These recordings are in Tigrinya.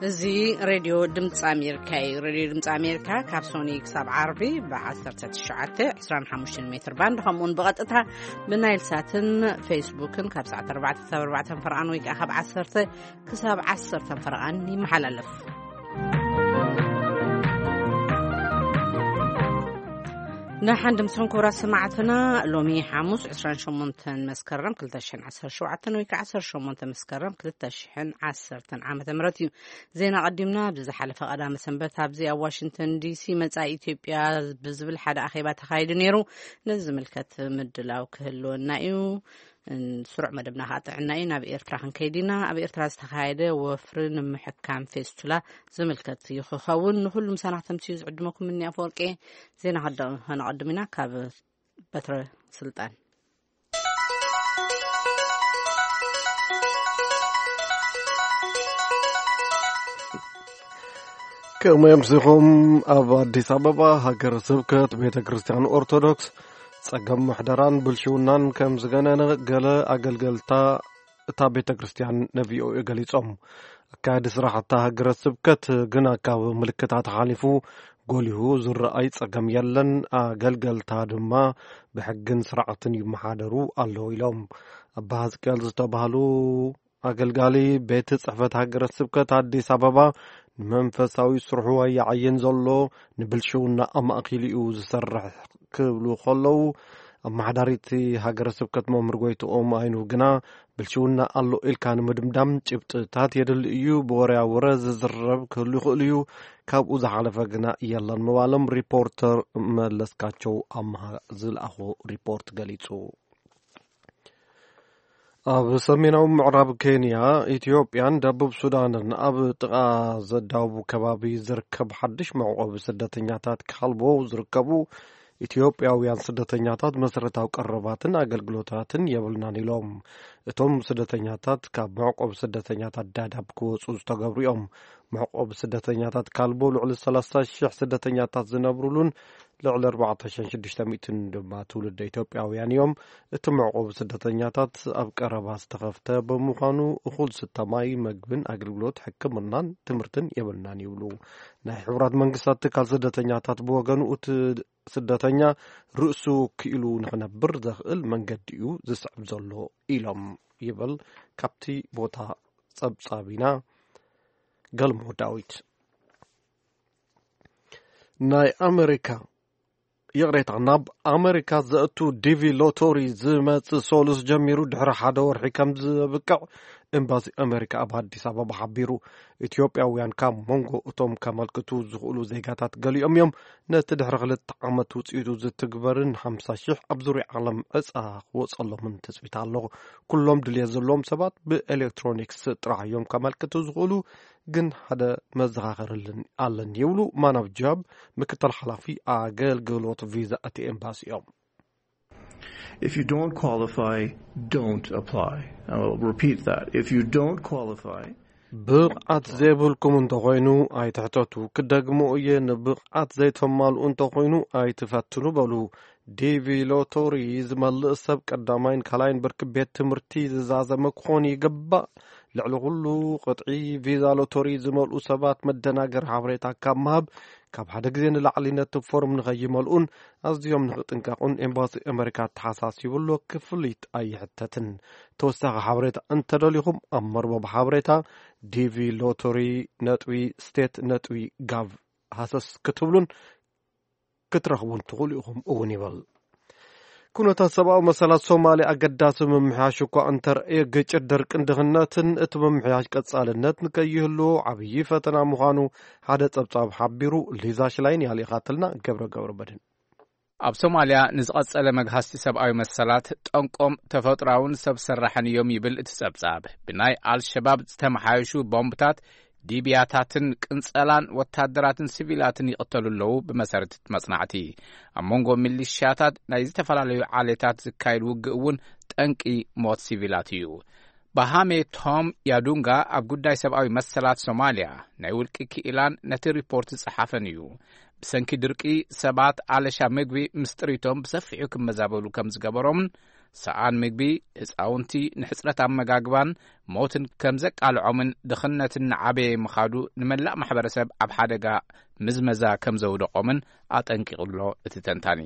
እዚ ሬድዮ ድምፂ ኣሜሪካ እዩ። ሬድዮ ድምፂ ኣሜሪካ ካብ ሶኒ ክሳብ ዓርቢ ብ19 25 ሜትር ባንድ፣ ከምኡውን ብቐጥታ ብናይል ሳትን ፌስቡክን ካብ ሰዓት ኣርባዕተ ክሳብ ኣርባዕተ ፈረቓን ወይ ከዓ ካብ ዓሰርተ ክሳብ ዓሰርተ ፈረቓን ይመሓላለፍ። ንሓንድምስን ክቡራት ሰማዕትና፣ ሎሚ ሓሙስ ዕስራን ሸሞንተን መስከረም ክልተ ሽሕን ዓሰርተ ሸውዓተን ወይ ከዓ ዓሰርተ ሸሞንተ መስከረም ክልተ ሽሕን ዓሰርተን ዓመተ ምህረት እዩ። ዜና ቀዲምና። ኣብዚ ዝሓለፈ ቀዳመ ሰንበት ኣብዚ ኣብ ዋሽንግተን ዲሲ መጻኢ ኢትዮጵያ ብዝብል ሓደ ኣኼባ ተኻይዱ ነይሩ። ነዚ ዝምልከት ምድላው ክህልወና እዩ። እን-፣ ስሩዕ መደብና ከዓ ጥዕና እዩ። ናብ ኤርትራ ክንከይድ ኢና። ኣብ ኤርትራ ዝተኻየደ ወፍሪ ንምሕካም ፌስቱላ ዝምልከት እዩ ክኸውን። ንኹሉ ምሳና ክተምስዩ ዝዕድመኩም እኒ ኣፈወርቂ። ዜና ከደ-፣ ከነቐድም ኢና ካብ በትረ ስልጣን። ከም ኣምሲኹም፣ ኣብ ኣዲስ ኣበባ ሃገረ ስብከት ቤተ ክርስቲያን ኦርቶዶክስ ጸገም ምሕደራን ብልሽውናን ከም ዝገነነ ገለ ኣገልገልታ እታ ቤተ ክርስቲያን ን ቪ ኦ ኤ ገሊጾም። ኣካያዲ ስራሕ እታ ሃገረ ስብከት ግና ካብ ምልክታት ሓሊፉ ጎሊሁ ዝረኣይ ጸገም የለን፣ ኣገልገልታ ድማ ብሕግን ስርዓትን ይመሓደሩ ኣለዉ ኢሎም። ኣባ ሕዝቅኤል ዝተባህሉ ኣገልጋሊ ቤት ጽሕፈት ሃገረ ስብከት ኣዲስ ኣበባ ንመንፈሳዊ ስርሑ ኣይዓይን ዘሎ፣ ንብልሽውና ኣማእኪሉ እዩ ዝሰርሕ ክብሉ ከለዉ፣ ኣመሓዳሪቲ ሃገረ ስብከት መምህር ጎይትኦም ኣይኑ ግና ብልሽውና ኣሎ ኢልካ ንምድምዳም ጭብጥታት የድሊ እዩ፣ ብወረያ ወረ ዝዝረብ ክህሉ ይኽእል እዩ፣ ካብኡ ዝሓለፈ ግና የለን ምባሎም ሪፖርተር መለስካቸው ኣምሃ ዝለኣኾ ሪፖርት ገሊጹ። ኣብ ሰሜናዊ ምዕራብ ኬንያ፣ ኢትዮጵያን ደቡብ ሱዳንን ኣብ ጥቓ ዘዳውቡ ከባቢ ዝርከብ ሓድሽ መዕቆቢ ስደተኛታት ካልቦ ዝርከቡ ኢትዮጵያውያን ስደተኛታት መሰረታዊ ቀረባትን ኣገልግሎታትን የብልናን ኢሎም። እቶም ስደተኛታት ካብ መዕቆቢ ስደተኛታት ዳዳብ ክወፁ ዝተገብሩ እዮም። መዕቆቢ ስደተኛታት ካልቦ ልዕሊ ሰላሳ ሺሕ ስደተኛታት ዝነብሩሉን ልዕሊ ኣርባዕተ ሽሕን ሽዱሽተ ሚእትን ድማ ትውልደ ኢትዮጵያውያን እዮም። እቲ መዕቆቢ ስደተኛታት ኣብ ቀረባ ዝተኸፍተ ብምዃኑ፣ እኹል ዝስተ ማይ፣ መግብን ኣገልግሎት ሕክምናን ትምህርትን የብልናን ይብሉ። ናይ ሕቡራት መንግስታት ትካል ስደተኛታት ብወገኑ፣ እቲ ስደተኛ ርእሱ ክኢሉ ንኽነብር ዘኽእል መንገዲ እዩ ዝስዕብ ዘሎ ኢሎም ይብል ካብቲ ቦታ ጸብጻቢና ገልሞ ዳዊት። ናይ ኣመሪካ፣ ይቕሬታ፣ ናብ ኣመሪካ ዘእቱ ዲቪ ሎቶሪ ዝመጽእ ሰሉስ ጀሚሩ ድሕሪ ሓደ ወርሒ ከም ዘብቅዕ ኤምባሲ ኣመሪካ ኣብ ኣዲስ ኣበባ ሓቢሩ። ኢትዮጵያውያን ካብ መንጎ እቶም ከመልክቱ ዝኽእሉ ዜጋታት ገሊኦም እዮም። ነቲ ድሕሪ ክልተ ዓመት ውጽኢቱ ዝትግበርን ሓምሳ ሽሕ ኣብ ዙርያ ዓለም ዕጻ ክወጸሎምን ትጽቢት ኣለኹ። ኩሎም ድልየት ዘለዎም ሰባት ብኤሌክትሮኒክስ ጥራሕ እዮም ከመልክቱ ዝኽእሉ፣ ግን ሓደ መዘኻኸሪ ኣለኒ ይብሉ ማናብ ጃብ፣ ምክትል ሓላፊ ኣገልግሎት ቪዛ እቲ ኤምባሲ እዮም። If you don't qualify, don't apply. I'll repeat that. If you don't qualify, ብቕዓት ዘይብልኩም እንተኾይኑ ኣይትሕተቱ። ክደግሞ እየ፣ ንብቕዓት ዘይተማልኡ እንተኾይኑ ኣይትፈትኑ በሉ። ዲቪ ሎቶሪ ዝመልእ ሰብ ቀዳማይን ካልኣይን ብርኪ ቤት ትምህርቲ ዝዛዘመ ክኾን ይግባእ። ልዕሊ ኩሉ ቅጥዒ ቪዛ ሎቶሪ ዝመልኡ ሰባት መደናገሪ ሓበሬታ ካብ ምሃብ፣ ካብ ሓደ ግዜ ንላዕሊ ነቲ ፎርም ንኸይመልኡን ኣዝዮም ንኽጥንቀቑን ኤምባሲ ኣመሪካ ተሓሳሲቡ ኣሎ። ክፍሊት ኣይሕተትን። ተወሳኺ ሓበሬታ እንተደሊኹም ኣብ መርበብ ሓበሬታ ዲቪ ሎቶሪ ነጥቢ ስቴት ነጥቢ ጋቭ ሃሰስ ክትብሉን ክትረኽቡን ትኽእሉ ኢኹም እውን ይብል። ኩነታት ሰብኣዊ መሰላት ሶማልያ ኣገዳሲ ምምሕያሽ እኳ እንተርእየ፣ ግጭት፣ ድርቅን ድኽነትን እቲ ምምሕያሽ ቀጻልነት ንከይህልዎ ዓብዪ ፈተና ምዃኑ ሓደ ጸብጻብ ሓቢሩ። ሊዛ ሽላይን እያ ልኢኻትልና። ገብረ ገብረ መድህን። ኣብ ሶማልያ ንዝቐጸለ መግሃስቲ ሰብኣዊ መሰላት ጠንቆም ተፈጥሮኣውን ሰብ ሰራሕን እዮም ይብል እቲ ጸብጻብ። ብናይ ኣልሸባብ ዝተመሓየሹ ቦምብታት ዲብያታትን ቅንጸላን ወታደራትን ሲቪላትን ይቕተሉ ኣለዉ። ብመሰረት እቲ መጽናዕቲ፣ ኣብ መንጎ ሚሊሽያታት ናይ ዝተፈላለዩ ዓሌታት ዝካየድ ውግእ እውን ጠንቂ ሞት ሲቪላት እዩ። ባሃሜ ቶም ያዱንጋ ኣብ ጉዳይ ሰብኣዊ መሰላት ሶማልያ ናይ ውልቂ ክኢላን ነቲ ሪፖርት ዝጸሓፈን እዩ። ብሰንኪ ድርቂ ሰባት ኣለሻ ምግቢ ምስ ጥሪቶም ብሰፊሑ ክመዛበሉ ከም ዝገበሮምን ሰኣን ምግቢ፣ ህፃውንቲ ንሕፅረት ኣመጋግባን ሞትን ከም ዘቃልዖምን ድኽነትን ንዓበየ ምኻዱ ንመላእ ማሕበረሰብ ኣብ ሓደጋ ምዝመዛ ከም ዘውደቖምን ኣጠንቂቑ ኣሎ እቲ ተንታኒ።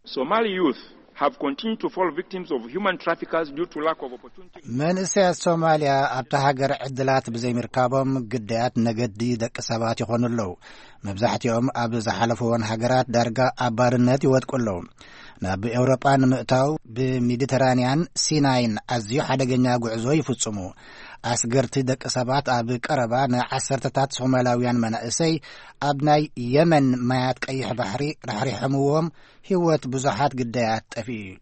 Somali youth have continued to fall victims of human traffickers due to lack of opportunity. መንእሰያት ሶማልያ ኣብታ ሃገር ዕድላት ብዘይምርካቦም ግዳያት ነገዲ ደቂ ሰባት ይኾኑ ኣለዉ። መብዛሕትኦም ኣብ ዝሓለፍዎን ሃገራት ዳርጋ ኣብ ባርነት ይወድቁ ኣለዉ። ናብ ኤውሮጳ ንምእታው ብሜዲተራንያን ሲናይን ኣዝዩ ሓደገኛ ጉዕዞ ይፍጽሙ። ኣስገርቲ ደቂ ሰባት ኣብ ቀረባ ንዓሰርተታት ሶማላውያን መናእሰይ ኣብ ናይ የመን ማያት ቀይሕ ባሕሪ ራሕሪሖምዎም ህይወት ብዙሓት ግዳያት ጠፊኡ እዩ።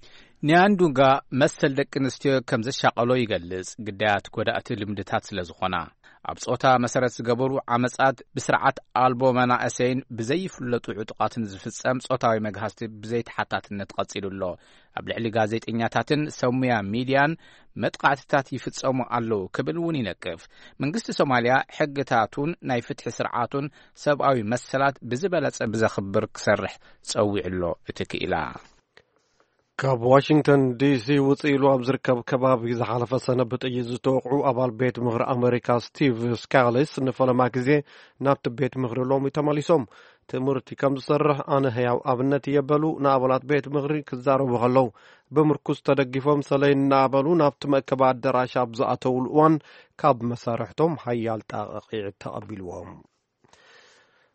ኒያንዱንጋ መሰል ደቂ ኣንስትዮ ከም ዘሻቐሎ ይገልጽ፣ ግዳያት ጎዳእቲ ልምድታት ስለ ዝኾና። ኣብ ጾታ መሰረት ዝገበሩ ዓመጻት ብስርዓት ኣልቦ መናእሰይን ብዘይፍለጡ ዕጡቓትን ዝፍጸም ጾታዊ መግሃስቲ ብዘይተሓታትነት ቀጺሉ ኣሎ። ኣብ ልዕሊ ጋዜጠኛታትን ሰብ ሙያ ሚድያን መጥቃዕትታት ይፍጸሙ ኣለዉ ክብል እውን ይነቅፍ። መንግስቲ ሶማልያ ሕግታቱን ናይ ፍትሒ ስርዓቱን ሰብኣዊ መሰላት ብዝበለጸ ብዘኽብር ክሰርሕ ጸዊዑ ኣሎ እቲ ክኢላ። ካብ ዋሽንግተን ዲሲ ውፅእ ኢሉ ኣብ ዝርከብ ከባቢ ዝሓለፈ ሰነ ብጥይት ዝተወቕዑ ኣባል ቤት ምኽሪ ኣሜሪካ ስቲቭ ስካሊስ ንፈለማ ግዜ ናብቲ ቤት ምኽሪ ሎሚ ተመሊሶም። ትምህርቲ ከም ዝሰርሕ ኣነ ህያው ኣብነት እየ በሉ ንኣባላት ቤት ምኽሪ ክዛረቡ ከለዉ። ብምርኩስ ተደጊፎም ሰለይ እናበሉ ናብቲ መእከቢ ኣዳራሽ ኣብ ዝኣተውሉ እዋን ካብ መሳርሕቶም ሓያል ጣቕዒዕ ተቐቢልዎም።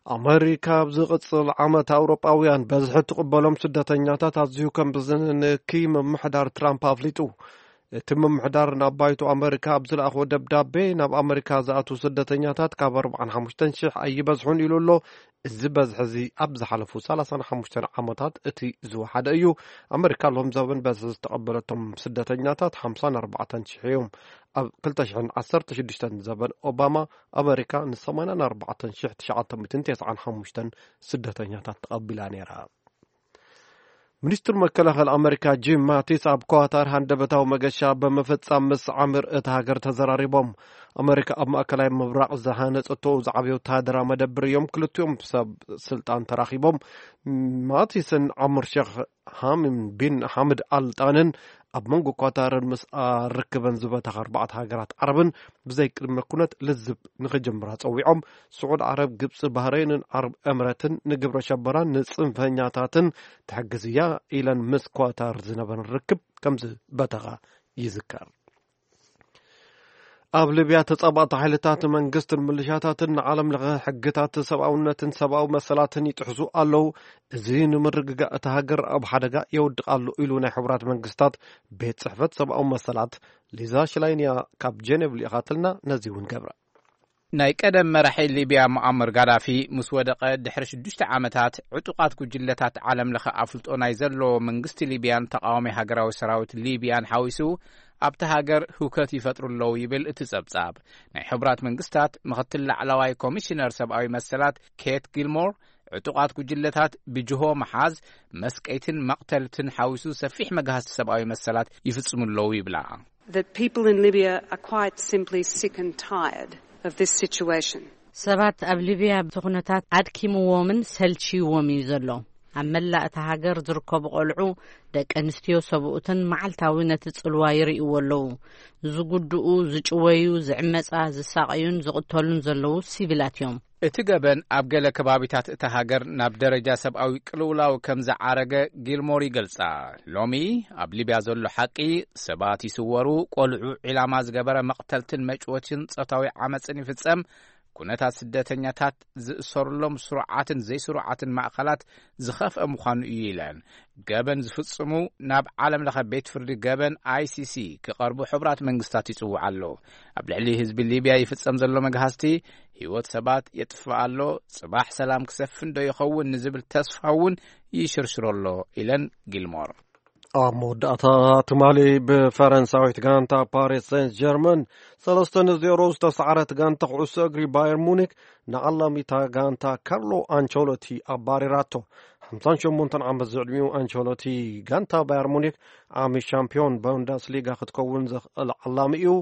ኣመሪካ ኣብ ዝቕጽል ዓመት ኣውሮጳውያን በዝሒ ትቕበሎም ስደተኛታት ኣዝዩ ከም ብዝንኪ ምምሕዳር ትራምፕ ኣፍሊጡ። እቲ ምምሕዳር ናብ ባይቶ ኣመሪካ ኣብ ዝለኣኽዎ ደብዳቤ፣ ናብ ኣመሪካ ዝኣትዉ ስደተኛታት ካብ ኣርባዓን ሓሙሽተን ሽሕ ኣይበዝሑን ኢሉ ኣሎ። እዚ በዝሒ እዚ ኣብ ዝሓለፉ ሰላሳን ሓሙሽተን ዓመታት እቲ ዝወሓደ እዩ። ኣመሪካ ሎም ዘበን በዝሒ ዝተቐበለቶም ስደተኛታት ሓምሳን ኣርባዕተን ሽሕ እዮም። ኣብ ክልተ ሽሕን ዓሰርተ ሽዱሽተን ዘበን ኦባማ ኣመሪካ ን ሰማንያን ኣርባዕተን ሽሕ ትሽዓተ ሚእትን ተስዓን ሓሙሽተን ስደተኛታት ተቐቢላ ነይራ። ሚኒስትር መከላኸሊ ኣመሪካ ጂም ማቲስ ኣብ ኳታር ሃንደበታዊ መገሻ ብምፍጻም ምስ ዓምር እታ ሃገር ተዘራሪቦም። ኣመሪካ ኣብ ማእከላይ ምብራቕ ዝሃነጸቶ ዝዓበየ ወተሃደራዊ መደብር እዮም ክልቲኦም ሰብ ስልጣን ተራኺቦም። ማቲስን ዓምር ሼኽ ሃሚም ቢን ሓምድ ኣል ጣንን ኣብ መንጎ ኳታርን ምስ ርክበን ዝበተኻ ኣርባዕተ ሃገራት ዓረብን ብዘይ ቅድመ ኩነት ልዝብ ንኽጅምራ ጸዊዖም። ስዑድ ዓረብ፣ ግብጺ፣ ባህረይንን ዓረብ ኤምረትን ንግብረ ሸበራን ንጽንፈኛታትን ትሕግዝ እያ ኢለን ምስ ኳታር ዝነበረን ርክብ ከም ዝበተኻ ይዝከር። ኣብ ሊብያ ተጻባእቲ ሓይልታት መንግስትን ምልሻታትን ንዓለም ለኸ ሕግታት ሰብኣውነትን ሰብኣዊ መሰላትን ይጥሕሱ ኣለዉ። እዚ ንምርግጋእ እታ ሃገር ኣብ ሓደጋ የውድቕ ኣሎ ኢሉ ናይ ሕቡራት መንግስታት ቤት ጽሕፈት ሰብኣዊ መሰላት። ሊዛ ሽላይንያ ካብ ጀኔቭ ልኢኻትልና፣ ነዚ እውን ገብረ። ናይ ቀደም መራሒ ሊብያ ሙኣመር ጋዳፊ ምስ ወደቐ ድሕሪ ሽዱሽተ ዓመታት፣ ዕጡቓት ጉጅለታት ዓለም ለኸ ኣፍልጦ ናይ ዘለዎ መንግስቲ ሊብያን ተቓዋሚ ሃገራዊ ሰራዊት ሊብያን ሓዊሱ ኣብቲ ሃገር ህውከት ይፈጥሩ ኣለዉ ይብል እቲ ጸብጻብ። ናይ ሕቡራት መንግስታት ምኽትል ላዕለዋይ ኮሚሽነር ሰብኣዊ መሰላት ኬት ጊልሞር፣ ዕጡቓት ጉጅለታት ብጅሆ ምሓዝ፣ መስቀይትን መቕተልትን ሓዊሱ ሰፊሕ መግሃስቲ ሰብኣዊ መሰላት ይፍጽሙ ኣለዉ ይብላ። That people in Libya are quite simply sick and tired of this situation. ሰባት ኣብ ሊብያ እቲ ኩነታት ኣድኪምዎምን ሰልችይዎም እዩ ዘሎ። ኣብ መላእ እታ ሃገር ዝርከቡ ቆልዑ፣ ደቂ ኣንስትዮ፣ ሰብኡትን መዓልታዊ ነቲ ጽልዋ ይርእይዎ ኣለዉ። ዝጉድኡ፣ ዝጭወዩ፣ ዝዕመጻ፣ ዝሳቐዩን ዝቕተሉን ዘለዉ ሲቪላት እዮም። እቲ ገበን ኣብ ገለ ከባቢታት እታ ሃገር ናብ ደረጃ ሰብኣዊ ቅልውላው ከም ዝዓረገ ጊልሞር ይገልጻ። ሎሚ ኣብ ሊብያ ዘሎ ሓቂ፣ ሰባት ይስወሩ፣ ቆልዑ ዒላማ ዝገበረ መቕተልትን መጭወችን ጾታዊ ዓመጽን ይፍጸም፣ ኩነታት ስደተኛታት ዝእሰሩሎም ስሩዓትን ዘይስሩዓትን ማእከላት ዝኸፍአ ምዃኑ እዩ ኢለን። ገበን ዝፍጽሙ ናብ ዓለም ለኸ ቤት ፍርዲ ገበን ኣይ ሲ ሲ ክቐርቡ ሕቡራት መንግስታት ይጽውዕ ኣሎ። ኣብ ልዕሊ ህዝቢ ሊብያ ይፍጸም ዘሎ መግሃስቲ ህይወት ሰባት የጥፍእ ኣሎ። ጽባሕ ሰላም ክሰፍን ዶ ይኸውን ንዝብል ተስፋ እውን ይሽርሽሮ ኣሎ ኢለን ጊልሞር። ኣብ መወዳእታ ትማሊ ብፈረንሳዊት ጋንታ ፓሪስ ሴንት ጀርመን ሰለስተ ንዜሮ ዝተሰዓረት ጋንታ ኩዕሶ እግሪ ባየር ሙኒክ ንዓላሚታ ጋንታ ካርሎ ኣንቸሎቲ ኣባሪራቶ። ሓምሳን ሸሞንተን ዓመት ዝዕድሚኡ ኣንቸሎቲ ጋንታ ባየር ሙኒክ ዓሚ ሻምፒዮን ቡንደስሊጋ ክትከውን ዘኽእል ዓላሚ እዩ።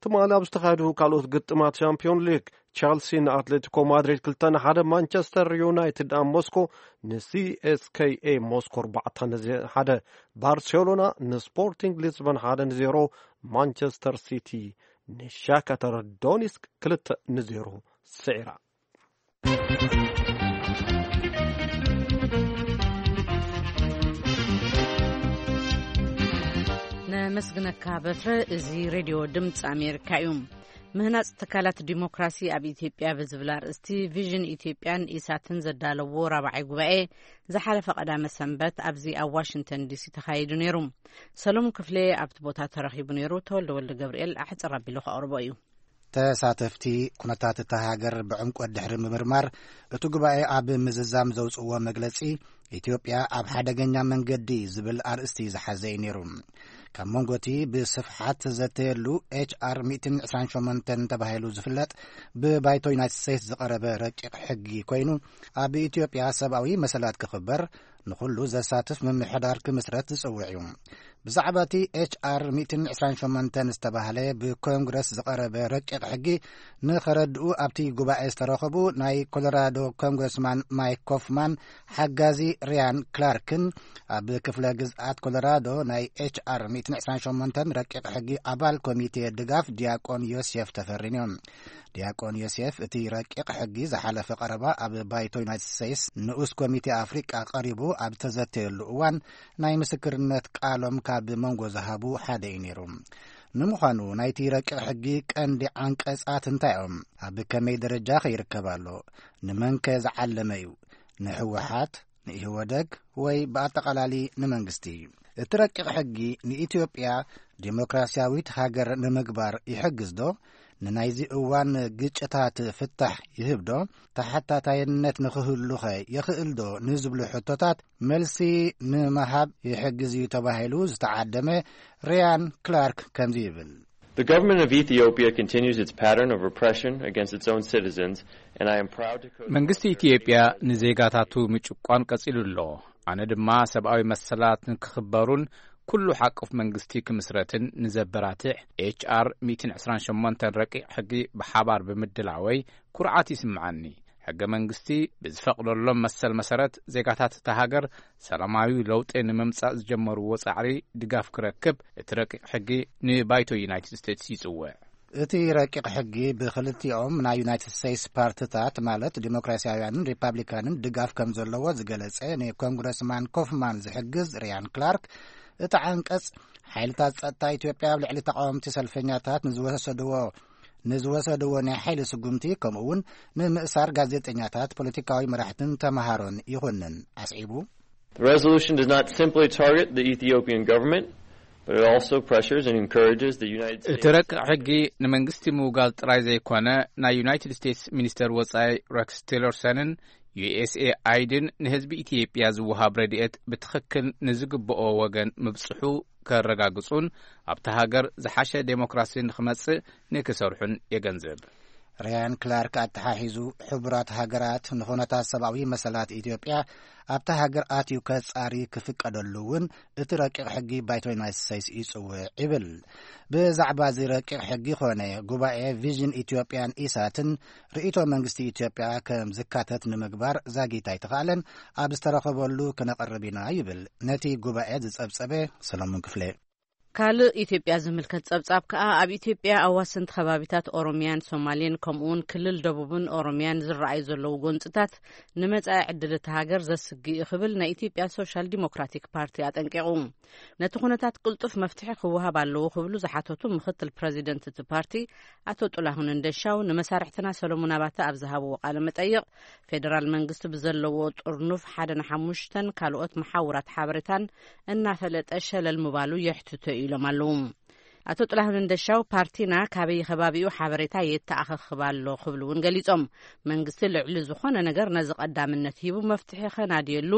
ትማሊ ኣብ ዝተኻየዱ ካልኦት ግጥማት ሻምፒዮን ሊግ ቸልሲ ንኣትሌቲኮ ማድሪድ ክልተ ንሓደ፣ ማንቸስተር ዩናይትድ ኣብ ሞስኮ ንሲኤስኬኤ ሞስኮ ኣርባዕተ ንሓደ፣ ባርሴሎና ንስፖርቲንግ ሊዝበን ሓደ ንዜሮ፣ ማንቸስተር ሲቲ ንሻክታር ዶኒስክ ክልተ ንዜሮ ስዒራ። ነመስግነካ በትረ። እዚ ሬድዮ ድምፂ ኣሜሪካ እዩ። ምህናፅ ትካላት ዲሞክራሲ ኣብ ኢትዮጵያ ብዝብል ኣርእስቲ ቪዥን ኢትዮጵያን ኢሳትን ዘዳለዎ ራብዓይ ጉባኤ ዝሓለፈ ቀዳመ ሰንበት ኣብዚ ኣብ ዋሽንግተን ዲሲ ተኻይዱ ነይሩ። ሰሎሞን ክፍሌ ኣብቲ ቦታ ተረኺቡ ነይሩ። ተወልደ ወልደ ገብርኤል ኣሕፅር ኣቢሉ ከቕርቦ እዩ። ተሳተፍቲ ኩነታት እታ ሃገር ብዕምቆት ድሕሪ ምምርማር፣ እቲ ጉባኤ ኣብ ምዝዛም ዘውፅእዎ መግለፂ፣ ኢትዮጵያ ኣብ ሓደገኛ መንገዲ ዝብል ኣርእስቲ ዝሓዘ እዩ ነይሩ። ካብ መንጎ እቲ ብስፍሓት ዘተየሉ ኤች ኣር ሚእትን ዕስራን ሸሞንተን ተባሂሉ ዝፍለጥ ብባይቶ ዩናይትድ ስቴትስ ዝቐረበ ረቂቕ ሕጊ ኮይኑ፣ ኣብ ኢትዮጵያ ሰብኣዊ መሰላት ክኽበር፣ ንኹሉ ዘሳትፍ ምምሕዳር ክምስረት ዝጽውዕ እዩ። ብዛዕባ እቲ ኤች ኣር ሚእትን ዕስራን ሸሞንተን ዝተባህለ ብኮንግረስ ዝቐረበ ረቂቕ ሕጊ ንኸረድኡ ኣብቲ ጉባኤ ዝተረኸቡ ናይ ኮሎራዶ ኮንግረስማን ማይክ ኮፍማን ሓጋዚ ሪያን ክላርክን፣ ኣብ ክፍለ ግዝኣት ኮሎራዶ ናይ ኤች ኣር ሚእትን ዕስራን ሸሞንተን ረቂቕ ሕጊ ኣባል ኮሚቴ ድጋፍ ዲያቆን ዮሴፍ ተፈሪን እዮም። ዲያቆን ዮሴፍ፣ እቲ ረቂቕ ሕጊ ዝሓለፈ ቀረባ ኣብ ባይቶ ዩናይትድ ስቴትስ ንኡስ ኮሚቴ ኣፍሪቃ ቀሪቡ ኣብ ዝተዘተየሉ እዋን፣ ናይ ምስክርነት ቃሎም ካብ መንጎ ዝሃቡ ሓደ እዩ ነይሩ። ንምዃኑ፣ ናይቲ ረቂቕ ሕጊ ቀንዲ ዓንቀጻት እንታይ እዮም? ኣብ ከመይ ደረጃ ከ ይርከብ ኣሎ? ንመንከ ዝዓለመ እዩ? ንህወሓት፣ ንኢህወደግ፣ ወይ ብኣጠቓላሊ ንመንግስቲ? እቲ ረቂቕ ሕጊ ንኢትዮጵያ ዲሞክራሲያዊት ሃገር ንምግባር ይሕግዝ ዶ? ንናይዚ እዋን ግጭታት ፍታሕ ይህብ ዶ? ተሓታታይነት ንኽህሉኸ የኽእል ዶ? ንዝብሉ ሕቶታት መልሲ ንምሃብ ይሕግዝ እዩ ተባሂሉ ዝተዓደመ ሪያን ክላርክ ከምዚ ይብል። The government of Ethiopia continues its pattern of repression against its own citizens, and I am proud to co- መንግስቲ ኢትዮጵያ ንዜጋታቱ ምጭቋን ቀጺሉ ኣሎ። ኣነ ድማ ሰብኣዊ መሰላት ንክኽበሩን ኩሉ ሓቆፍ መንግስቲ ክምስረትን ንዘበራትዕ ኤች ኣር ሚእትን ዕስራን ሸሞንተን ረቂቕ ሕጊ ብሓባር ብምድላወይ ኩርዓት ይስምዓኒ። ሕገ መንግስቲ ብዝፈቕደሎም መሰል መሰረት፣ ዜጋታት እታ ሃገር ሰላማዊ ለውጢ ንምምጻእ ዝጀመርዎ ጻዕሪ ድጋፍ ክረክብ፣ እቲ ረቂቕ ሕጊ ንባይቶ ዩናይትድ ስቴትስ ይጽውዕ። እቲ ረቂቕ ሕጊ ብክልቲኦም ናይ ዩናይትድ ስቴትስ ፓርትታት፣ ማለት ዲሞክራሲያውያንን ሪፓብሊካንን፣ ድጋፍ ከም ዘለዎ ዝገለጸ ንኮንግረስማን ኮፍማን ዝሕግዝ ሪያን ክላርክ፣ እቲ ዓንቀጽ፣ ሓይልታት ጸጥታ ኢትዮጵያ ኣብ ልዕሊ ተቃወምቲ ሰልፈኛታት ንዝወሰድዎ ንዝወሰድዎ ናይ ሓይሊ ስጉምቲ፣ ከምኡ እውን ንምእሳር ጋዜጠኛታት፣ ፖለቲካዊ መራሕትን ተመሃሮን ይኹንን ኣስዒቡ። The resolution does not simply target the Ethiopian government, but it also pressures and encourages the United States. እቲ ረቂቕ ሕጊ ንመንግስቲ ምውጋዝ ጥራይ ዘይኮነ፣ ናይ ዩናይትድ ስቴትስ ሚኒስተር ወጻኢ ረክስ ቲለርሰንን ዩ ኤስ ኤ ኣይድን ንህዝቢ ኢትዮጵያ ዝወሃብ ረድኤት ብትኽክል ንዝግብኦ ወገን ምብጽሑ ከረጋግጹን ኣብታ ሃገር ዝሓሸ ዴሞክራሲ ንኽመጽእ ንክሰርሑን የገንዝብ። ሪያን ክላርክ ኣተሓሒዙ፣ ሕቡራት ሃገራት ንኹነታት ሰብኣዊ መሰላት ኢትዮጵያ ኣብታ ሃገር ኣትዩ ከጻሪ ክፍቀደሉ እውን እቲ ረቂቕ ሕጊ ባይቶ ዩናይትድ ስቴትስ ይጽውዕ ይብል። ብዛዕባ እዚ ረቂቕ ሕጊ ኾነ ጉባኤ ቪዥን ኢትዮጵያን ኢሳትን ርእይቶ መንግስቲ ኢትዮጵያ ከም ዝካተት ንምግባር ዛጊት ኣይተኻእለን። ኣብ ዝተረኸበሉ ክነቕርብ ኢና ይብል ነቲ ጉባኤ ዝጸብጸበ ሰሎሞን ክፍሌ። ካልእ ኢትዮጵያ ዝምልከት ጸብጻብ ከኣ፣ ኣብ ኢትዮጵያ ኣዋሰንቲ ከባቢታት ኦሮሚያን ሶማሌን፣ ከምኡውን ክልል ደቡብን ኦሮሚያን ዝረኣዩ ዘለዉ ጎንጽታት ንመጻኢ ዕድል እታ ሃገር ዘስግእ እዩ ክብል ናይ ኢትዮጵያ ሶሻል ዲሞክራቲክ ፓርቲ ኣጠንቂቑ። ነቲ ኩነታት ቅልጡፍ መፍትሒ ክወሃብ ኣለዎ ክብሉ ዝሓተቱ ምክትል ፕረዚደንት እቲ ፓርቲ ኣቶ ጥላሁን እንደሻው ንመሳርሕትና ሰሎሞን ኣባተ ኣብ ዝሃብዎ ቃለ መጠይቕ፣ ፌደራል መንግስቲ ብዘለዎ ጥርኑፍ ሓደ ንሓሙሽተን ካልኦት መሓውራት ሓበሬታን እናፈለጠ ሸለል ምባሉ የሕትቶ ኢሎም ኣለዉ። ኣቶ ጥላሁን እንደሻው፣ ፓርቲና ካበይ ከባቢኡ ሓበሬታ የተኣኻኽብ ኣሎ ክብሉ እውን ገሊጾም። መንግስቲ ልዕሊ ዝኾነ ነገር ነዚ ቀዳምነት ሂቡ መፍትሒ ከናድየሉ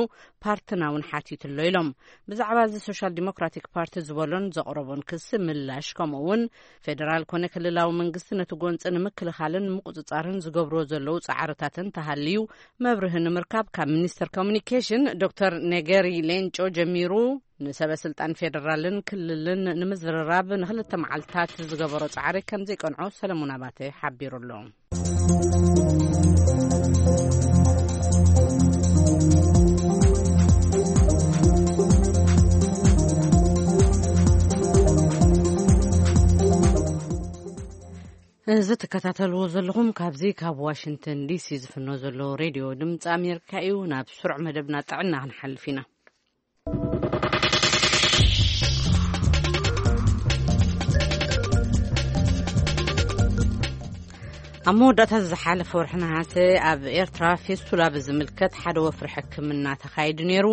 ፓርትና እውን ሓቲቱ ኣሎ ኢሎም። ብዛዕባ እዚ ሶሻል ዲሞክራቲክ ፓርቲ ዝበሎን ዘቕረቦን ክሲ ምላሽ፣ ከምኡ እውን ፌደራል ኮነ ክልላዊ መንግስቲ ነቲ ጎንፂ ንምክልኻልን ምቁፅፃርን ዝገብርዎ ዘለዉ ፃዕርታትን ተሃልዩ መብርሂ ንምርካብ ካብ ሚኒስተር ኮሙኒኬሽን ዶክተር ነገሪ ሌንጮ ጀሚሩ ንሰበ ስልጣን ፌደራልን ክልልን ንምዝርራብ ንክልተ መዓልታት ዝገበሮ ፃዕሪ ከም ዘይቀንዖ ሰለሞን ኣባተ ሓቢሩ ኣሎ። እዚ ትከታተልዎ ዘለኹም ካብዚ ካብ ዋሽንግተን ዲሲ ዝፍኖ ዘሎ ሬድዮ ድምፂ ኣሜሪካ እዩ። ናብ ስሩዕ መደብና ጥዕና ክንሓልፍ ኢና። ኣብ መወዳእታ ዝሓለፈ ወርሒ ነሃሰ ኣብ ኤርትራ ፌስቱላ ብዝምልከት ሓደ ወፍሪ ሕክምና ተኻይዱ ነይሩ።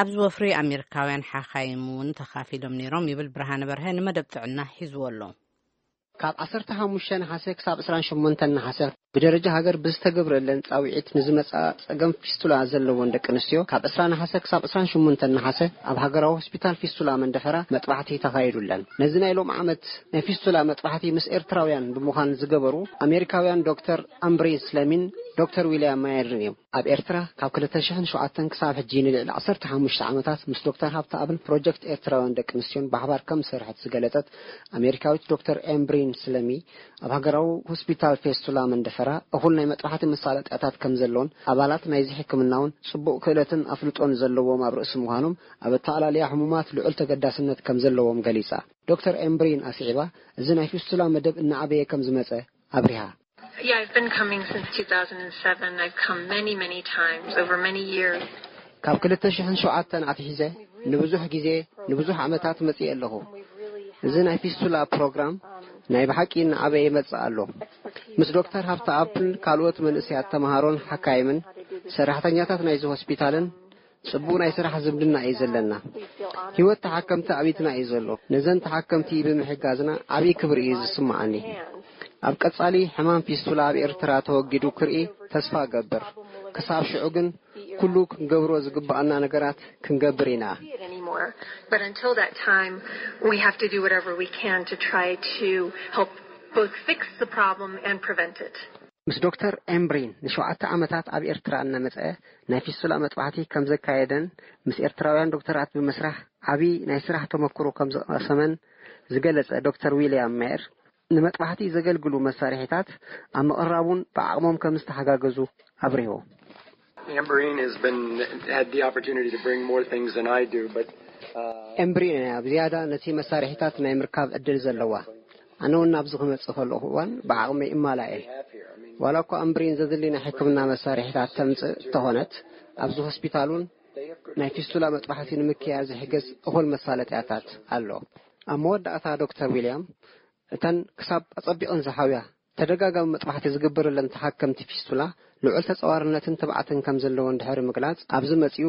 ኣብዚ ወፍሪ ኣሜሪካውያን ሓኻይም እውን ተኻፊሎም ነይሮም ይብል ብርሃነ በርሀ ንመደብ ጥዕና ሒዝዎ ኣሎ። ካብ ዓሰርተ ሓሙሽተ ነሓሰ ክሳብ ዕስራን ሸሞንተን ነሓሰ ብደረጃ ሃገር ብዝተገብረለን ጻውዒት ንዝመጻ ጸገም ፊስቱላ ዘለወን ደቂ ኣንስትዮ ካብ ዕስራ ነሓሰ ክሳብ ዕስራን ሸሞንተን ነሓሰ ኣብ ሃገራዊ ሆስፒታል ፊስቱላ መንደፈራ መጥባሕቲ ተኻይዱለን። ነዚ ናይ ሎም ዓመት ናይ ፊስቱላ መጥባሕቲ ምስ ኤርትራውያን ብምዃን ዝገበሩ ኣሜሪካውያን ዶክተር ኣምብሪን ስለሚን ዶክተር ዊልያም ማየርን እዮም። ኣብ ኤርትራ ካብ ክልተ ሽሕን ሸውዓተን ክሳብ ሕጂ ንልዕሊ ዓሰርተ ሓሙሽተ ዓመታት ምስ ዶክተር ሃብተኣብን ፕሮጀክት ኤርትራውያን ደቂ ኣንስትዮን ብሓባር ከም ዝሰርሐት ዝገለጸት ኣሜሪካዊት ዶክተር ኤምብሪን ስለሚ፣ ኣብ ሃገራዊ ሆስፒታል ፌስቱላ መንደፈራ እኹል ናይ መጥባሕቲ መሳለጥያታት ከም ዘሎን ኣባላት ናይዚ ሕክምና እውን ጽቡቕ ክእለትን ኣፍልጦን ዘለዎም ኣብ ርእሲ ምዃኖም ኣብ ኣተኣላልያ ሕሙማት ልዑል ተገዳስነት ከም ዘለዎም ገሊጻ። ዶክተር ኤምብሪን ኣስዒባ፣ እዚ ናይ ፊስቱላ መደብ እናዓበየ ከም ዝመጸ ኣብሪሃ። Yeah, I've been coming since two thousand seven. I've come many, many times over many years. ካብ ክልተ ሽሕን ሸውዓተን ኣትሒዘ ንብዙሕ ግዜ ንብዙሕ ዓመታት መጽየ ኣለኹ። እዚ ናይ ፊስቱላ ፕሮግራም ናይ ብሓቂ እናዓበየ ይመጽእ ኣሎ። ምስ ዶክተር ሃብተኣብን ካልኦት መንእሰያት ተምሃሮን ሓካይምን ሰራሕተኛታት ናይዚ ሆስፒታልን ጽቡቕ ናይ ስራሕ ዝምድና እዩ ዘለና። ህይወት ተሓከምቲ ኣብ ኢድና እዩ ዘሎ። ነዘን ተሓከምቲ ብምሕጋዝና ዓብዪ ክብሪ እዩ ዝስምዓኒ። ኣብ ቀጻሊ ሕማም ፊስቱላ ኣብ ኤርትራ ተወጊዱ ክርኢ ተስፋ እገብር። ክሳብ ሽዑ ግን ኩሉ ክንገብሮ ዝግብኣና ነገራት ክንገብር ኢና። But until that time, we have to do whatever we can to try to help both fix the problem and prevent it. ምስ ዶክተር ኤምብሪን ንሸውዓተ ዓመታት ኣብ ኤርትራ እናመጸ ናይ ፊስቱላ መጥባሕቲ ከም ዘካየደን ምስ ኤርትራውያን ዶክተራት ብምስራሕ ዓቢ ናይ ስራሕ ተመክሮ ከም ዝቐሰመን ዝገለጸ ዶክተር ዊልያም ሜየር፣ ንመጥባሕቲ ዘገልግሉ መሳርሒታት ኣብ ምቕራቡን ብዓቕሞም ከም ዝተሓጋገዙ ኣብሪሁ። Amberine has been had the opportunity to bring more things than I do, but uh, ኤምብሪን ኣብ ዝያዳ ነቲ መሳርሒታት ናይ ምርካብ ዕድል ዘለዋ። ኣነ እውን ናብዚ ክመጽእ ከለኹ እዋን ብዓቕመይ እማላእ እየ። ዋላ እኳ ኣምብሪን ዘድሊ ናይ ሕክምና መሳርሒታት ተምጽእ እንተኾነት፣ ኣብዚ ሆስፒታል እውን ናይ ፊስቱላ መጥባሕቲ ንምክያድ ዝሕግዝ እኹል መሳለጥያታት ኣሎ። ኣብ መወዳእታ ዶክተር ዊልያም፣ እተን ክሳብ ኣጸቢቐን ዝሓውያ ተደጋጋሚ መጥባሕቲ ዝግበረለን ተሓከምቲ ፊስቱላ ልዑል ተጸዋርነትን ትብዓትን ከም ዘለወን ድሕሪ ምግላጽ፣ ኣብዚ መጺኡ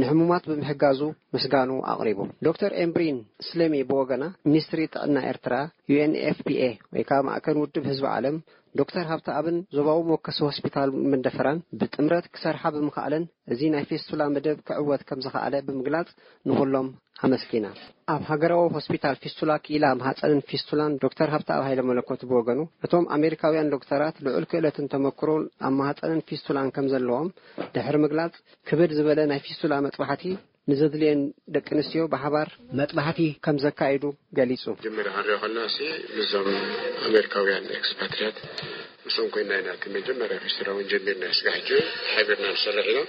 ንሕሙማት ብምሕጋዙ ምስጋኑ ኣቕሪቡ። ዶክተር ኤምብሪን ስለሚ ብወገና፣ ሚኒስትሪ ጥዕና ኤርትራ፣ ዩ ኤን ኤፍ ፒ ኤ ወይ ከዓ ማእከል ውድብ ህዝቢ ዓለም፣ ዶክተር ሃብተኣብን ዞባዊ መወከሲ ሆስፒታል መንደፈራን ብጥምረት ክሰርሓ ብምኽኣለን፣ እዚ ናይ ፌስቱላ መደብ ክዕወት ከም ዝኸኣለ ብምግላጽ ንኹሎም ኣመስጊና። ኣብ ሃገራዊ ሆስፒታል ፊስቱላ ክኢላ ማህጸንን ፊስቱላን ዶክተር ሃብተኣብ ሃይለ መለኮት ብወገኑ፣ እቶም ኣሜሪካውያን ዶክተራት ልዑል ክእለትን ተመክሮን ኣብ ማህጸንን ፊስቱላን ከም ዘለዎም ድሕሪ ምግላጽ፣ ክብድ ዝበለ ናይ ፊስቱላ መጥባሕቲ ንዘድልየን ደቂ ኣንስትዮ ብሓባር መጥባሕቲ ከም ዘካይዱ ገሊጹ። መጀመርያ ክንሪኦ ከለና ሲ ምስዞም ኣሜሪካውያን ኤክስፓትሪያት ምስኦም ኮይና ኢና እቲ መጀመርያ ፌስቲቫል እውን ጀሚርና። ስጋ ሕጂ ሓቢርና ንሰርሕ ኢና።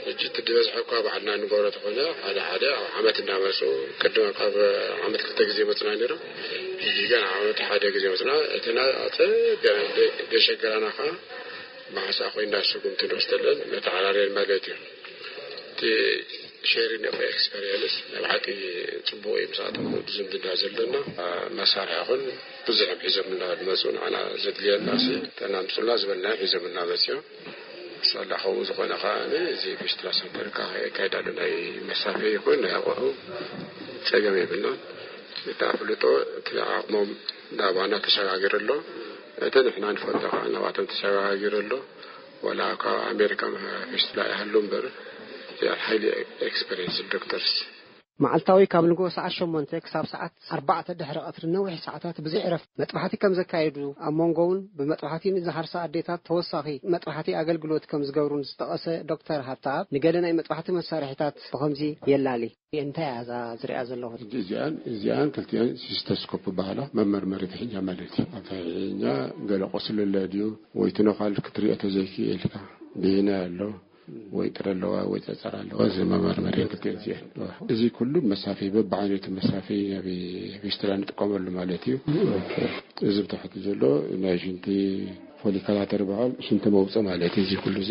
ሕጂ እቲ ዝበዝሐ እኳ ባዕልና ንገብሮ ተኾነ ሓደ ሓደ ኣብ ዓመት እናመፁ ቅድም ካብ ዓመት ክልተ ግዜ መፅና ነይሮም። ሕጂ ግን ዓመት ሓደ ግዜ መፅና። እቲ ና- ኣፀቢቕና ደ- ደሸገራና ከዓ ብሓንሳእ ኮይና ስጉምቲ ንወስደለን መተዓራርየን ማለት እዩ። እቲ ሼሪንግ ኦፍ ኤክስፐሪየንስ ናይ ብሓቂ ፅቡቅ እዩ። ምስኣቶም ዝምድና ዘለና መሳርሒ ይኹን ብዙሕ እዮም ሒዞምና ዝመፁ። ንዓና ዘድልየና ሲ ተናምፁልና ዝበልና እዮም ሒዞምና መፅዮም። ሳላ ከምኡ ዝኾነ ከዓ እዚ ፌስቲቫል ሰንተር ከዓ የካይድ ኣሎ። ናይ መሳርሒ ይኹን ናይ ኣቑሑ ፀገም የብልናን። እቲ ኣፍልጦ እቲ ዓቕሞም ናባና ተሸጋጊሩ ኣሎ። እቲ ንሕና ንፈልጦ ከዓ ናባቶም ተሸጋጊሩ ኣሎ። ወላ ካብ ኣሜሪካ ፌስቲቫል ይሃሉ እምበር they are highly experienced doctors። መዓልታዊ ካብ ንግሆ ሰዓት ሸሞንተ ክሳብ ሰዓት ኣርባዕተ ድሕሪ ቀትሪ ነዊሕ ሰዓታት ብዘይ ዕረፍቲ መጥባሕቲ ከም ዘካየዱ፣ ኣብ መንጎ እውን ብመጥባሕቲ ንዝሃርሳ ኣዴታት ተወሳኺ መጥባሕቲ ኣገልግሎት ከም ዝገብሩን ዝጠቐሰ ዶክተር ሃብተኣብ፣ ንገለ ናይ መጥባሕቲ መሳርሒታት ብኸምዚ የላሊ። እንታይ እያ እዛ ዝሪኣ ዘለኹ? ሕጂ እዚኣን እዚኣን ክልቲኣን ሲስተስኮፕ በሃላ፣ መመርመሪት ሕኛ ማለት እዩ። ኣብታ ሕኛ ገለ ቁስሊ ኣሎ ድዩ ወይ ትነኳል ክትሪኦ ተዘይክእል ኢልካ፣ ብሂና ኣሎ ወይ ጥረ ኣለዋ ወይ ጸጸር ኣለዋ፣ እዚ መመርመሪ ክልቲኣን እዚኣን። እዚ ኩሉ መሳፈይ፣ በብዓይነቱ መሳፈይ ኣብ ፊስትላ ንጥቀመሉ ማለት እዩ። እዚ ብታሕቲ ዘሎ ናይ ሽንቲ ፎሊከላተር በሃል፣ ሽንቲ መውፅእ ማለት እዩ። እዚ ኩሉ እዚ፣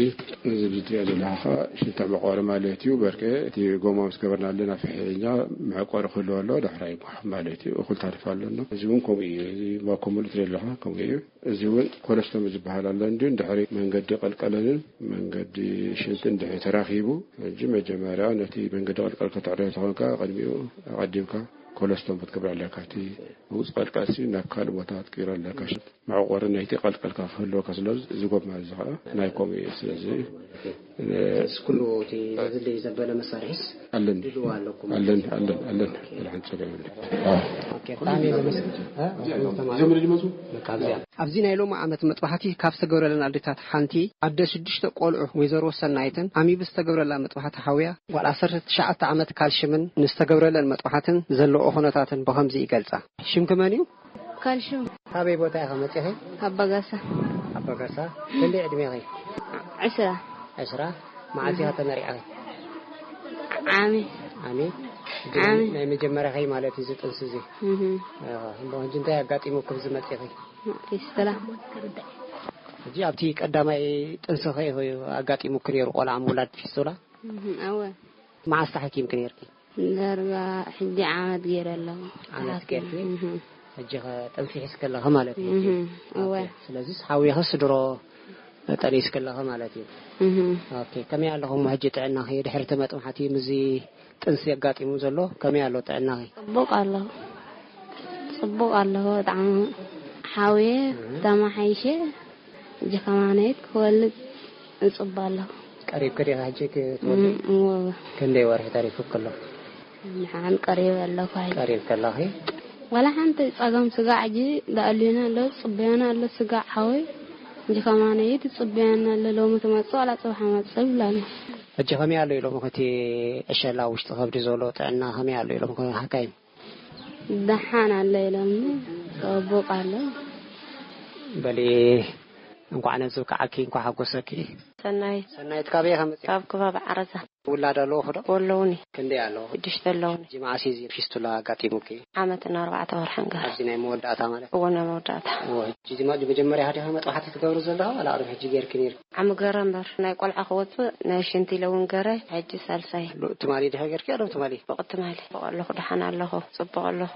እዚ ብትሪኦ ዘለካ ከዓ ሽንቲ መቆሪ ማለት እዩ። በርከ እቲ ጎማ ምስ ገበርና ኣለና ፍሕኛ መዕቆሪ ክህልዎ ኣለዎ፣ ዳሕራይ ይጓሓፍ ማለት እዩ። እኩል ታሪፍ ኣለና። እዚ እውን ከምኡ እዩ። እዚ ባኮ ሙሉ ትሪኦ ኣለካ ከምኡ እዩ። እዚ እውን ኮለስቶሚ ዝበሃል ኣሎ። እንዲሁ እንድሕሪ መንገዲ ቀልቀለንን መንገዲ ሽንትን እንድሕሪ ተራኺቡ፣ ሕጂ መጀመርያ ነቲ መንገዲ ቀልቀል ከተዕርዮ ተኾንካ፣ ቅድሚኡ ኣቐዲምካ ኮለስቶሚ ክትገብር ኣለካ። እቲ ውፅ ቀልቀልሲ ናብ ካልእ ቦታ ክትቅይሮ ኣለካ። ሽንት መዕቆሪ ናይቲ ቀልቀልካ ክህልወካ ስለ፣ እዚ ጎማ እዚ ከዓ ናይ ከምኡ እዩ። ስለዚ፣ እ፣ ኩሉ እቲ ዘድሊ ዘበለ መሳርሒስ ኣለን። ድልዋ ኣለኩም? ኣለን፣ ኣለን፣ ኣለን። ኦኬ። ወላ ሓንቲ ጸገም የለን። ኦኬ፣ ብጣዕሚ እየ ዘመስግን። እ? እዚኦም ዝመፁ? በቃ፣ ኣብዚኣ። ኣብዚ ናይ ሎሚ ዓመት መጥባሕቲ ካብ ዝተገብረለን ኣዴታት ሓንቲ ኣደ ሽዱሽተ ቆልዑ ወይዘሮ ሰናይትን ዓሚቡ ዝተገብረላ መጥባሕቲ ሓውያ ጓል ዓሰርተ ትሽዓተ ዓመት ካልሽምን ንዝተገብረለን መጥባሕትን ዘለዎ ኩነታትን ብኸምዚ ይገልጻ። ሽምኪ መን እዩ? ካልሽም። ካበይ ቦታ ኢኻ መጺኺ? ኣባጋሳ። ኣባጋሳ። ክንደይ ዕድሜኺ? ዕስራ። ዕስራ። መዓስ ኢኻ ተመሪዕኺ? ዓሚ። ዓሚ? ዓሚ። ናይ መጀመርያኺ ማለት እዩ እዚ ጥንሲ እዚ? እህ። እዎ። እሞ ሕጂ እንታይ ኣጋጢሙኪ ኣብዚ መጺኺ? ፊስቱላ። ሕጂ ኣብቲ ቀዳማይ ጥንስኺ ኢኹ ኣጋጢሙኪ ነይሩ ቆልዓ ምውላድ ፊስቱላ? እህ፣ እወ። መዓስ ተሓኪምኪ ነይርኪ? ዳርጋ ሕጂ ዓመት ገይረ ኣለኹ። ዓመት ተሓኪመ። ገይርኪ? እህ። ሕጂ ኸ ጥንሲ ሒዝኪ ኣለኺ ማለት እዩ? እህ፣ እወ። ኦኬ። ስለዚስ ሓዊኽስ ድሮ ጠኒስኪ ኣለኺ ማለት እዩ? እህ። ኦኬ። ከመይ ኣለኹ እሞ ሕጂ ጥዕናኺ ድሕሪ እቲ መጥባሕቲ ምስዚ ጥንሲ ኣጋጢሙ ዘሎ ከመይ ኣሎ ጥዕናኺ? ጽቡቕ ኣለኹ። ጽቡቕ ኣለኹ። ብጣዕሚ ሓውየ እህ። ተማሓይሸ ሕጂ ከማነይት ክወልድ እጽባ ኣለኹ። ቀሪብኪ ዲኻ ሕጂ ክትወልዲ? እም፣ እወ፣ እወ። ክንደይ ወርሒ ተሪፉኪ ኣሎ? ንሓን ቀሪበ ኣለኹ ሕጂ። ቀሪብኪ ኣለኺ? ዋላ ሓንቲ ጸገም ስጋዕ ሕጂ ደኣልዩና ኣሎ፣ ጽበዮና ኣሎ ስጋዕ ሓወይ። ሕጂ ከማነይት ጽበዮና ኣሎ፣ ሎሚ ትመጽእ ዋላ ጽባሕ መጽእ ይብላ ኣሎ። ሕጂ ከመይ ኣሎ ኢሎም እቲ ዕሸላ ውሽጢ ከብዲ ዘሎ ጥዕና ከመይ ኣሎ ኢሎም ሓካይም? ደሓን ኣሎ ኢሎምኒ፣ ጽቡቕ ኣሎ። በሊ፣ እንኳዕ ነዚ በቃዓኪ፣ እንኳዕ ሓጎሰኪ። ሰናይት። ሰናይት፣ ካበይ ኢኻ መጺኻ? ካብ ከባቢ ዓረዛ። ውላድ ኣለዎ ዶ? ኣለዉኒ። ክንደይ ኣለዎ? ሽዱሽተ ኣለዉኒ። ሕጂ መዓስ እዩ እዚ ፊስቱላ ኣጋጢሙኪ? ዓመትን ኣርባዕተ ወርሕን ገይሩ። ኣብዚ ናይ መወዳእታ ማለት? እወ፣ ናይ መወዳእታ። እወ፣ ሕጂ እዚ ማ-፣ መጀመርያ ኢኻ ዲኻ መጥባሕቲ ትገብሪ ዘለኻ? ዋላ ቅድሚ ሕጂ ጌርኪ ነይርኪ? ዓሚ ገረ እምበር፣ ናይ ቆልዓ ክወጽእ፣ ናይ ሽንቲ ኢለ እውን ገረ፣ ሕጂ ሳልሳይ። ሎ-፣ ትማሊ ዲኻ ጌርኪ? ኣለም ትማሊ? ጽቡቕ ትማሊ። ጽቡቕ ኣለኹ፣ ደሓን ኣለኹ፣ ጽቡቕ ኣለኹ።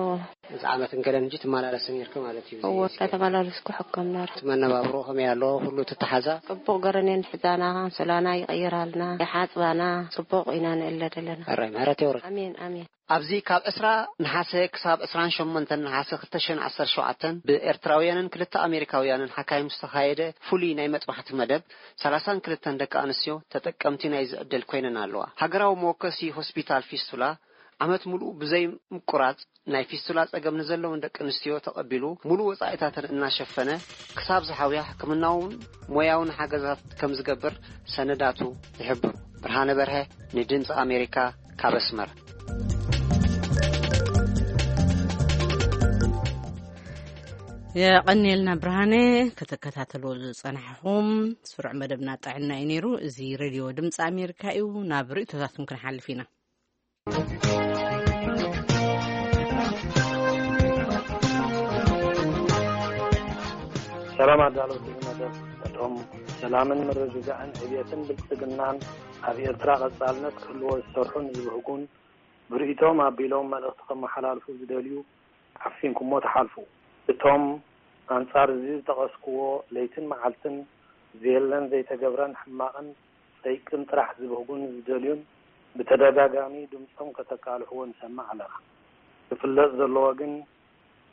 እዚ ዓመት እንከለን ሕጂ ትመላለሲ ነይርኪ ማለት እዩ። እወ፣ እናተመላለስኩ ሕከም ነረ። እቲ መነባብሮ ከመይ ኣሎ? ኩሉ ትተሓዛ? ጽቡቕ ገረን እየን ሕዛና፣ ኣንሶላና ይቐይራልና፣ ይሓጽባና፣ ጽቡቕ ኢና ንእለ ዘለና። ኣራይ፣ ምሕረት የውርድ። ኣሜን፣ ኣሜን። ኣብዚ ካብ ዕስራ ነሓሰ ክሳብ ዕስራን ሸሞንተን ነሓሰ ክልተ ሽሕን ዓሰርተ ሸውዓተን ብኤርትራውያንን ክልተ ኣሜሪካውያንን ሓካይም ዝተኻየደ ፍሉይ ናይ መጥባሕቲ መደብ፣ ሰላሳን ክልተን ደቂ ኣንስትዮ ተጠቀምቲ ናይዚ ዕድል ኮይነን ኣለዋ። ሃገራዊ መወከሲ ሆስፒታል ፊስቱላ ዓመት ምሉእ ብዘይ ምቁራጽ ናይ ፊስቱላ ጸገም ንዘለወን ደቂ ኣንስትዮ ተቐቢሉ፣ ሙሉእ ወጻኢታተን እናሸፈነ፣ ክሳብ ዝሓውያ ሕክምናውን ሞያውን ሓገዛት ከም ዝገብር ሰነዳቱ ይሕብሩ። ብርሃነ በርሀ፣ ንድምጺ ኣሜሪካ፣ ካብ ኣስመራ። የቐንየልና ብርሃነ፣ ክትከታተልዎ ዝጸናሕኹም ስሩዕ መደብና ጥዕና እዩ ነይሩ። እዚ ሬድዮ ድምፂ ኣሜሪካ እዩ። ናብ ርእይቶታትኩም ክንሓልፍ ኢና። ሰላም ኣዳለውቲ መደብ፣ ነቶም ሰላምን ምርግጋእን ዕብየትን ብልጽግናን ኣብ ኤርትራ ቀጻልነት ክህልዎ ዝሰርሑን ዝብህጉን ብርእይቶም ኣቢሎም መልእኽቲ ከመሓላልፉ ዝደልዩ ዓፊንኩሞ ትሓልፉ። እቶም ኣንጻር እዚ ዝጠቐስኩዎ ለይትን መዓልትን ዘየለን ዘይተገብረን ሕማቕን ጸይቅን ጥራሕ ዝብህጉን ዝደልዩን ብተደጋጋሚ ድምጾም ከተቃልሕዎ ንሰምዕ ኣለና። ክፍለጥ ዘለዎ ግን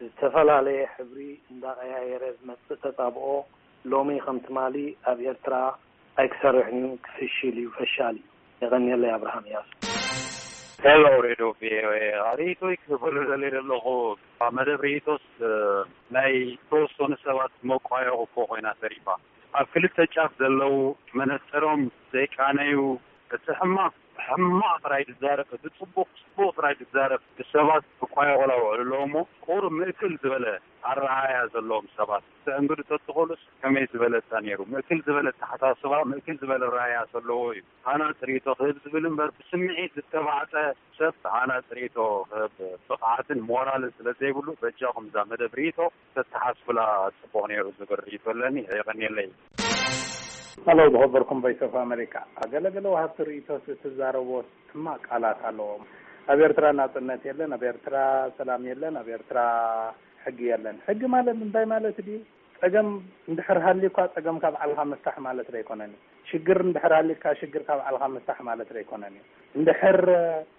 ዝተፈላለየ ሕብሪ እንዳቐያየረ ዝመጽእ ተጻብኦ ሎሚ ከም ትማሊ ኣብ ኤርትራ ኣይክሰርሕን እዩ፣ ክፍሽል እዩ፣ ፈሻል እዩ። የቐንየለይ። ኣብርሃም እያሱ። ሄሎ ሬድዮ ቪኦኤ፣ ርእይቶይ ክህበሉ ደልየ ዘለኹ፣ መደብ ርእይቶስ፣ እ፣ ናይ ተወሰኑ ሰባት መቋየቑ እኮ ኮይና ተሪፋ። ኣብ ክልተ ጫፍ ዘለዉ መነጽሮም ዘይቃነዩ፣ እቲ ሕማቕ ሕማቕ ጥራይ ዝዛረብ፣ እቲ ጽቡቕ ጽቡቕ ጥራይ ዝዛረብ፣ ብሰባት ክቋየቑላ ውዕሉ ኣለዎ እሞ፣ ቁሩብ ምእክል ዝበለ ኣረኣእያ ዘለዎም ሰባት ክትእንግዱ ተትኽእሉስ ከመይ ዝበለጸ ነይሩ? ምእክል ዝበለ ኣተሓሳስባ፣ ምእክል ዝበለ ኣረኣእያ ዘለዎ እዩ። ሃናጺ ርእይቶ ክህብ ዝብል እምበር፣ ብስምዒት ዝተባዕጠ ሰብ ሃናጺ ርእይቶ ክህብ ብቕዓትን ሞራልን ስለ ዘይብሉ፣ በጃኹም እዛ መደብ ርእይቶ ተተሓስቡላ ጽቡቕ ነይሩ ዝብል ርእይቶ ኣለኒ። የቐንየለይ። ሄሎ፣ ዝኸበርኩም ቮይስ ኦፍ ኣሜሪካ፣ ገለገለ ወሃብቲ ርእይቶስ እትዛረብዎ ሕማቕ ቃላት ኣለዎም። ኣብ ኤርትራ ናጽነት የለን፣ ኣብ ኤርትራ ሰላም የለን፣ ኣብ ኤርትራ ሕጊ የለን። ሕጊ ማለት እንታይ ማለት ድዩ? ጸገም እንድሕር ሃልዩካ ጸገምካ ባዕልኻ ምፍታሕ ማለት ዘይኮነን እዩ። ሽግር እንድሕር ሃልዩካ ሽግርካ ባዕልኻ ምፍታሕ ማለት ዘይኮነን እዩ። እንድሕር፣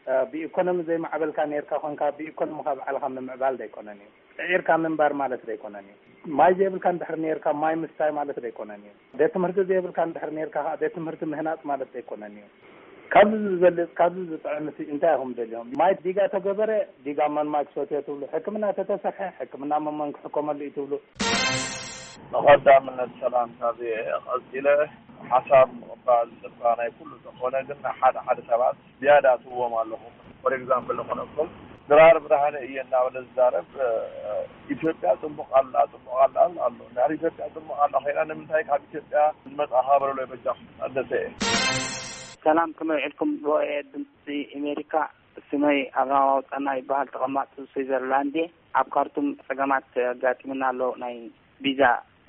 እ፣ ብኢኮኖሚ ዘይማዕበልካ ነይርካ ኮንካ ብኢኮኖሚኻ ባዕልኻ ምምዕባል ዘይኮነን እዩ። ጽዒርካ ምንባር ማለት ዘይኮነን እዩ። ማይ ዘይብልካ እንድሕር ነይርካ ማይ ምስታይ ማለት ዘይኮነን እዩ። ቤት ትምህርቲ ዘይብልካ እንድሕር ነይርካ ከኣ ቤት ትምህርቲ ምህናጽ ማለት ዘይኮነን እዩ። ካብዚ ዝበልጽ፣ ካብዚ ዝጥዕም ሲ እንታይ ኢኹም ደልዮም? ማይ ዲጋ ተገበረ፣ ዲጋ መን ማይ ክሰትዮ ትብሉ? ሕክምና ተተሰርሐ፣ ሕክምና መመን ክሕከመሉ እዩ ትብሉ? ንቐዳምነት ሰላምታ ቪኦኤ ቀጺለ ሓሳብ ምቕባል እባ ናይ ኩሉ እንተኾነ፣ ግን ሓደ ሓደ ሰባት ዝያዳ ትህቦም ኣለኹም። ፎር ኤግዛምፕል ንኾነኩም፣ ድራር ብርሃነ እየ እናበለ ዝዛረብ፣ እ፣ ኢትዮጵያ ጽቡቕ ኣላ፣ ጽቡቕ ኣላ ኣሎ። እንድሕር ኢትዮጵያ ጽቡቕ ኣላ ኮይና፣ ንምንታይ ካብ ኢትዮጵያ ዝመጻ ሃበረሎ በጃኹም? ኣደሰ እየ። ሰላም፣ ከመይ ውዒልኩም? ቪኦኤ ድምፂ ኣሜሪካ። ስመይ ኣብርሃም ኣውፃና ይበሃል። ተቐማጢ ስዊዘርላንድ እየ። ኣብ ካርቱም ፀገማት ኣጋጢሙና ኣሎ። ናይ ቪዛ፣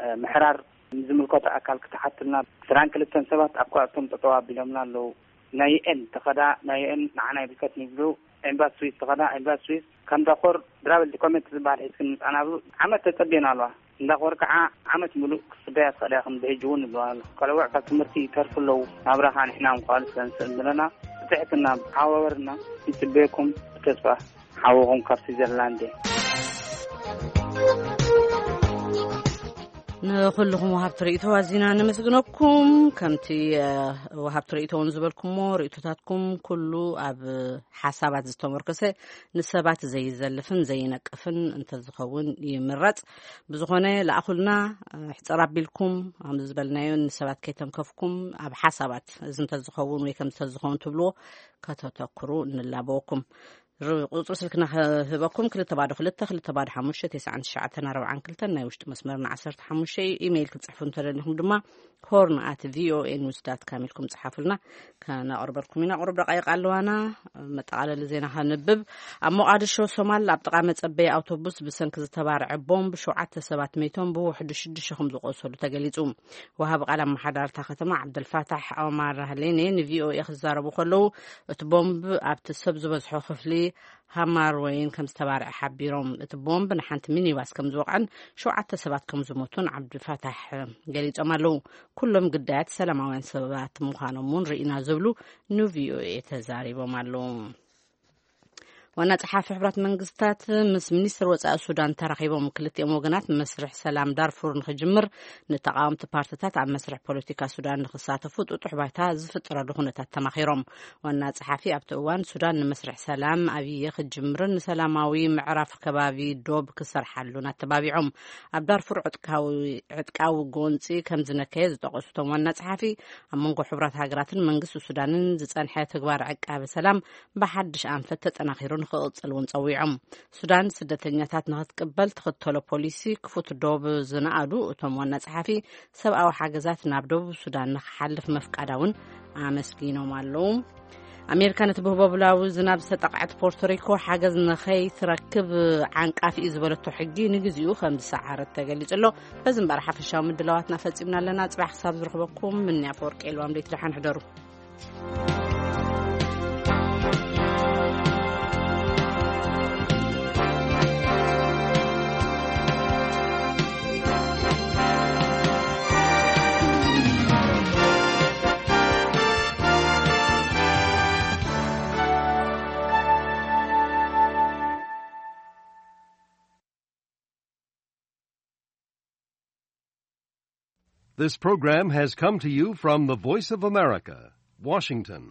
እ፣ ምሕራር ንዝምልከቶ ኣካል ክትሓቱልና። ዕስራን ክልተን ሰባት ኣብ ካርቱም ጠጠው ኣቢሎምና ኣለዉ። ናይ ዩ ኤን ተኸዳ፣ ናይ ዩ ኤን ንዓና ይምልከት ይብሉ። ኤምባሲ ስዊስ ተኸዳ፣ ኤምባሲ ስዊስ ከም ዳኮር ድራብል ዶኮሜንት ዝበሃል ሒዝክን ምፃና ብሉ ዓመት ተፀቢና ኣለዋ። እንዳ ቆርክዓ ዓመት ሙሉእ ክትፅበያ ትኽእላ ኢኽን፣ ብሕጂ እውን ይብሉና ኣሎ። ቆልዑ ካብ ትምህርቲ ይተርፉ ኣለዉ። ናብራኻ ንሕና ምኽኣል ስለ ንስእን ብለና፣ ብትሕትና ሓዋወርና ይፅበየኩም ብተስፋ። ሓውኹም ካብ ስዊዘርላንድ እየ። ንኹልኹም ወሃብቲ ርእይቶ ኣዚና ነመስግነኩም። ከምቲ፣ እ፣ ወሃብቲ ርእይቶ እውን ዝበልኩሞ፣ ርእይቶታትኩም ኩሉ ኣብ ሓሳባት ዝተመርኮሰ፣ ንሰባት ዘይዘልፍን ዘይነቅፍን እንተዝኸውን ይምረጽ። ብዝኾነ፣ ለኣኹልና፣ ሕጽር ኣቢልኩም፣ ከም ዝበልናዮ፣ ንሰባት ከይተንከፍኩም፣ ኣብ ሓሳባት፣ እዚ እንተዝኸውን ወይ ከም እንተዝኸውን ትብልዎ ከተተኩሩ ንላበወኩም። ር-፣ ቁጽሪ ስልክና ክህበኩም፣ ክልተ ባዶ ክልተ፣ ክልተ ባዶ ሓሙሽተ፣ ተስዓን ትሽዓተን ኣርባዓን ክልተን፣ ናይ ውሽጢ መስመርና ዓሰርተ ሓሙሽተ እዩ። ኢሜይል ክትጽሕፉ እንተደሊኹም ድማ፣ ሆርን ኣት ቪኦኤ ኒውስ ዳት ካም ኢልኩም ጽሓፉልና፣ ከነቕርበልኩም ኢና። ቁሩብ ደቃይቕ ኣለዋና፣ መጠቓለሊ ዜና ከንብብ። ኣብ ሞቓድሾ ሶማል፣ ኣብ ጥቓ መጸበዪ ኣውቶቡስ ብሰንኪ ዝተባርዐ ቦምብ ሸውዓተ ሰባት መይቶም፣ ብውሕዱ ሽዱሽተ ከም ዝቖሰሉ ተገሊጹ። ወሃቢ ቃል ኣመሓዳርታ ከተማ ዓብደልፋታሕ ኦማር ሃሌኔ ንቪኦኤ ክዛረቡ ከለዉ፣ እቲ ቦምብ ኣብቲ ሰብ ዝበዝሖ ክፍሊ ሃማር ወይን ከም ዝተባርዐ ሓቢሮም። እቲ ቦምብ ንሓንቲ ሚኒባስ ከም ዝወቕዐን ሸውዓተ ሰባት ከም ዝሞቱን ዓብዱልፋታሕ ገሊጾም ኣለዉ። ኩሎም ግዳያት ሰላማውያን ሰባት ምዃኖም እውን ርኢና ዝብሉ ንቪኦኤ ተዛሪቦም ኣለዉ። ዋና ጸሓፊ ሕቡራት መንግስታት ምስ ሚኒስትር ወጻኢ ሱዳን ተራኺቦም። ክልቲኦም ወገናት መስርሕ ሰላም ዳርፉር ንኽጅምር፣ ንተቓወምቲ ፓርትታት ኣብ መስርሕ ፖለቲካ ሱዳን ንኽሳተፉ ጥጡሕ ባይታ ዝፍጠረሉ ኩነታት ተማኺሮም። ዋና ጸሓፊ ኣብቲ እዋን፣ ሱዳን ንመስርሕ ሰላም ኣብየ ክትጅምርን ንሰላማዊ ምዕራፍ ከባቢ ዶብ ክሰርሓሉን ኣተባቢዖም። ኣብ ዳርፉር ዕጥቃዊ፣ ዕጥቃዊ ጎንጺ ከም ዝነከየ ዝጠቐሱ እቶም ዋና ጸሓፊ፣ ኣብ መንጎ ሕቡራት ሃገራትን መንግስቲ ሱዳንን ዝጸንሐ ተግባር ዕቃበ ሰላም ብሓድሽ ኣንፈት ተጠናኺሩ ንኽቕጽል እውን ጸዊዖም። ሱዳን ስደተኛታት ንኽትቅበል ትኽተሎ ፖሊሲ ክፉት ዶብ ዝነኣዱ እቶም ዋና ጸሓፊ፣ ሰብኣዊ ሓገዛት ናብ ደቡብ ሱዳን ንኽሓልፍ መፍቃዳ እውን ኣመስጊኖም ኣለዉ። ኣሜሪካ ነቲ ብህቦብላዊ ዝናብ ዝተጠቕዐት ፖርቶሪኮ ሓገዝ ንኸይትረክብ ዓንቃፊ እዩ ዝበለቶ ሕጊ ንግዚኡ ከም ዝሰዓረት ተገሊጹ ኣሎ። በዚ እምበኣር ሓፈሻዊ ምድላዋትና ፈጺምና ኣለና። ጽባሕ ክሳብ ዝረኽበኩም፣ ምንያ ኣፈወርቂ የልዋም ደይቲ ደሓን ሕደሩ። This program has come to you from the Voice of America, Washington.